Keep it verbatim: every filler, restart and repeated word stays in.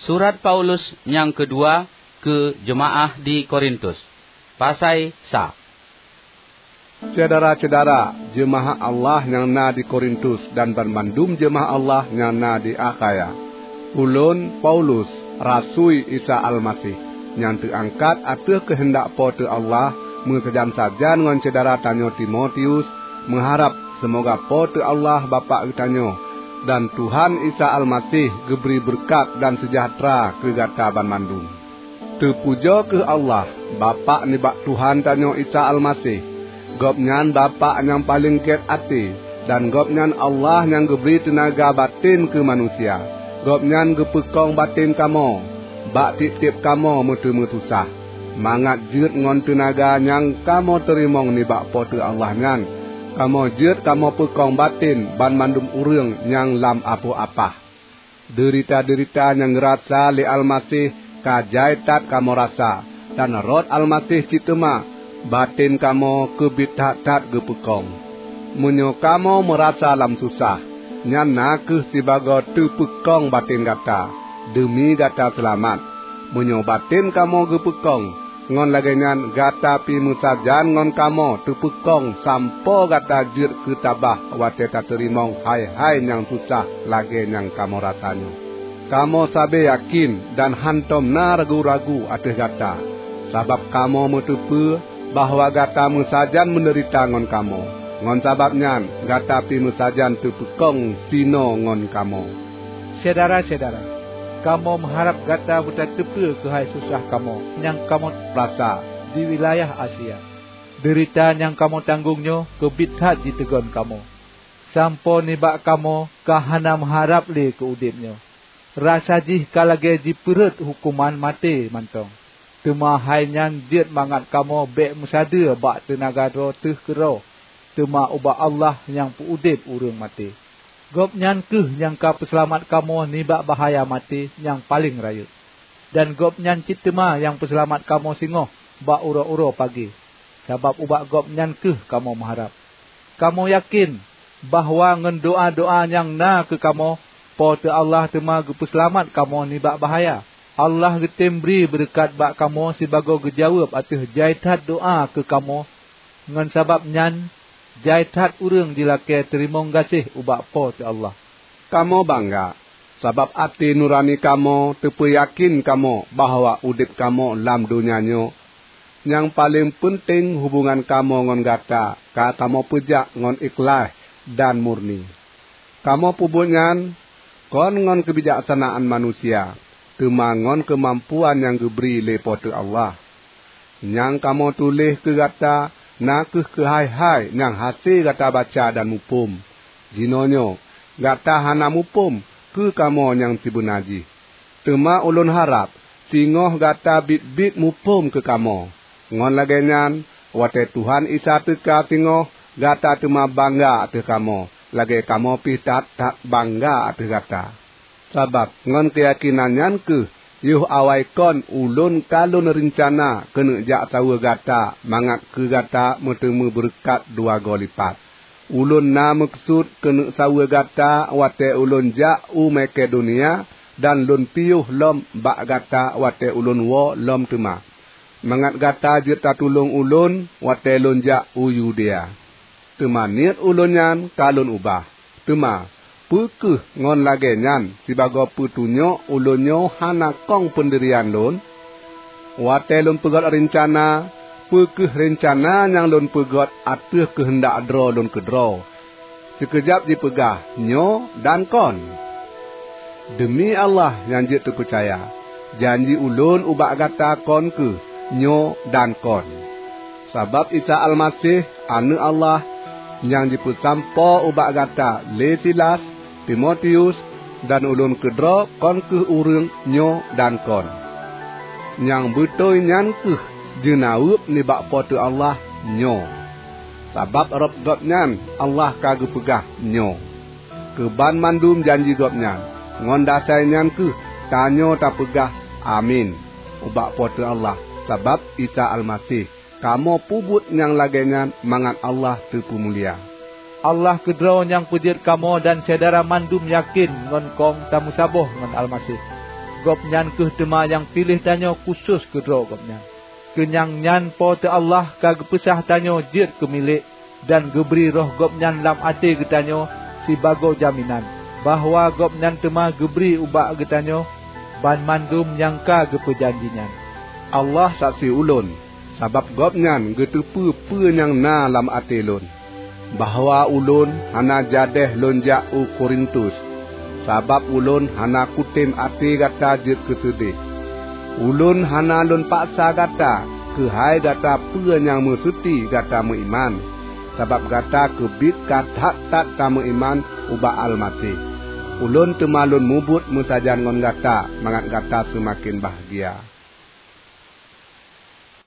Surat Paulus nyang keudua keu jeumaáh di Korintus. Pasai sa. Syedara-syedara jeumaáh Allah nyang na di Korintus dan banmandum jeumaáh Allah nyang na di Akhaya. Ulôn, Paulus, rasui Isa Almaseh, nyang teuangkat ateueh keuheundak Po teu Allah, meusajan-sajan ngon syedara tanyoe Timotius, meuharab seumoga Po teu Allah Bapak geutanyoe dan Tuhan Isa Almaseh geubri beureukat dan seujahteura keu gata banmandum. Teupujoe kheueh Allah, Bapak nibak Tuhan tanyoe Isa Almaseh! Gobnyan Bapak nyang paleng gét até, dan Gobnyan Allah nyang geubri teunaga batén keu manusia. Gobnyan geupeukong batén kamoe, bak tieb-tieb kamoe meuteumé susah, mangat jeuet ngon teunaga nyang kamoe teurimong nibak Po teu Allah nyan, kamoe jeuet kamoe peukong batén banmandum ureuëng nyang lam apoh apah. Deurita-deurita nyang geurasa lé Almaseh ka jai that kamoe rasa, dan rot Almaseh cit teuma batén kamoe keubiet that-that geupeukong. Meunyoe kamoe meurasa lam susah, nyan na kheueh sibagoe teupeukong batén gata, deumi gata seulamat. Meunyoe batén kamoe geupeukong, ngon lagée nyan gata pih meusajan ngon kamoe teupeukong sampoe gata jeuet keu tabah watée tateurimong hai-hai nyang susah lagée nyang kamoe rasa nyoe. Kamoe sabe yakén dan hántom na ragu-ragu ateueh gata, sabab kamoe meuteupeue bahwa gata meusajan meudeurita ngon kamoe. Ngon sabab nyan gata pih meusajan teupeukong sinoe ngon kamoe. Syedara-syedara, kamoe meuharab gata beutateupeue keuhai susah kamoe nyang kamoe rasa di wilayah Asia. Deurita nyang kamoe tanggong nyoe keubiet that jiteugon kamoe, sampoe nibak kamoe ka hana meuharab lé keu udeb nyoe. Rasa jih ka lagée jipeurhot huköman maté mantong. Teuma hai nyan jeuet mangat kamoe bék meusadeue bak teunaga droe teuh keudroe, teuma ubak Allah nyang peu-udeb ureuëng maté. Gobnyan kheueh nyang ka peuseulamat kamoe nibak bahya maté nyang paleng rayeuk. Dan Gobnyan cit teuma nyang peuseulamat kamoe singoh bak uroe-uroe pagée, sabab ubak Gobnyan kheueh kamoe meuharab. Kamoe yakén bahwa ngon doá-doá nyang na keu kamoe, Po teu Allah teuma geupeuseulamat kamoe nibak bahya. Allah geutem bri beureukat bak kamoe sibagoe geujaweueb ateueh jai that doá keu kamoe. Ngon sabab nyan, jai that ureuëng jilakée teurimong gaséh ubak Po teu Allah. Kamoe bangga, sabab até nurani kamoe teupeuyakén kamoe bahwa udeb kamoe lam donya nyoe nyang paleng peunteng hubongan kamoe ngon gata ka kamoe peujak ngon ikhlaih dan murni. Kamoe peubuet nyan kon ngon keubijaksanaan manusia, teuma ngon keumampuan nyang geubri lé Po teu Allah. Nyang kamoe tuléh keu gata na kheueh keuhai-hai nyang hase gata baca dan muphom. Jinoenyoe gata hana muphom keu kamoe nyang sibeuna jih. Teuma ulôn harab singoh gata biet-biet muphom keu kamoe. Ngon lagée nyan, watée Tuhan Isa teuka singoh, gata teuma bangga ateueh kamoe, lagée kamoe pih that-that bangga ateueh gata. Sabab ngon keuyakénan nyan kheueh yoh awai kon ulôn ka lôn reuncana keuneuk jak saweue gata mangat keu gata meuteumé beureukat dua goe lipat. Ulôn na meukeusut keuneuk saweue gata watée ulôn jak u Makedonia dan lôn piôh lom bak gata watée ulôn woe lom teuma, mangat gata jeuet tatulông ulôn watée lôn jak u Yudea. Teuma niet ulôn nyan ka lôn ubah. Teuma, peu kheueh ngon lagée nyan sibagoe peutunyok ulôn nyoe hana kong peundirian lôn? Watée lôn peugét reuncana, peu kheueh reuncana nyang lôn peugét ateueh keuheundak droe lôn keudroe, sikeujab jipeugah, "Nyoe dan kon"? Deumi Allah nyang jeuet teupeucaya, janji ulôn ubak gata kon kheueh "Nyoe dan kon". Sabab Isa Almaseh, Aneuëk Allah, nyang jipeusampoe ubak gata lé Silas, Timotius, dan ulôn keudroe kon kheueh ureuëng "Nyoe dan kon". Nyang beutôi nyan kheueh jeunaweueb nibak Po teu Allah "Nyoe". Sabab rot Gobnyan Allah ka geupeugah "Nyoe" keu banmandum janji Gobnyan. Ngon dasai nyan kheueh tanyoe tapeugah "Amin" ubak Po teu Allah sabab Isa Almaseh. Kamoe peubuet nyang lagée nyan mangat Allah teupeumulia. Allah keudroe nyang peujeuet kamoe dan syedara mandum yakén ngon kong tameusaboh ngon Almaseh. Gobnyan kheueh teuma nyang piléh tanyoe khusos keudroe Gobnyan. Keu nyang nyan Po teu Allah ka geupeusah tanyoe jeuet keu milék dan geubri Roh Gobnyan lam até geutanyoe sibagoe jaminan bahwa Gobnyan teuma geubri ubak geutanyoe banmandum nyang ka geupeujanji nyan. Allah saksi ulôn, sabab Gobnyan geuteupeue peue nyang na lam até lôn, bahwa ulôn hana jadéh lôn jak u Korintus, sabab ulôn hana kutem até gata jeuet keuseudeh. Ulôn hana lôn paksa gata keuhai gata peue nyang meuseuti gata meuiman, sabab gata keubiet ka that-that tameuiman ubak Almaseh. Ulôn teuma lôn mubuet meusajan ngon gata mangat gata seumaken bahgia.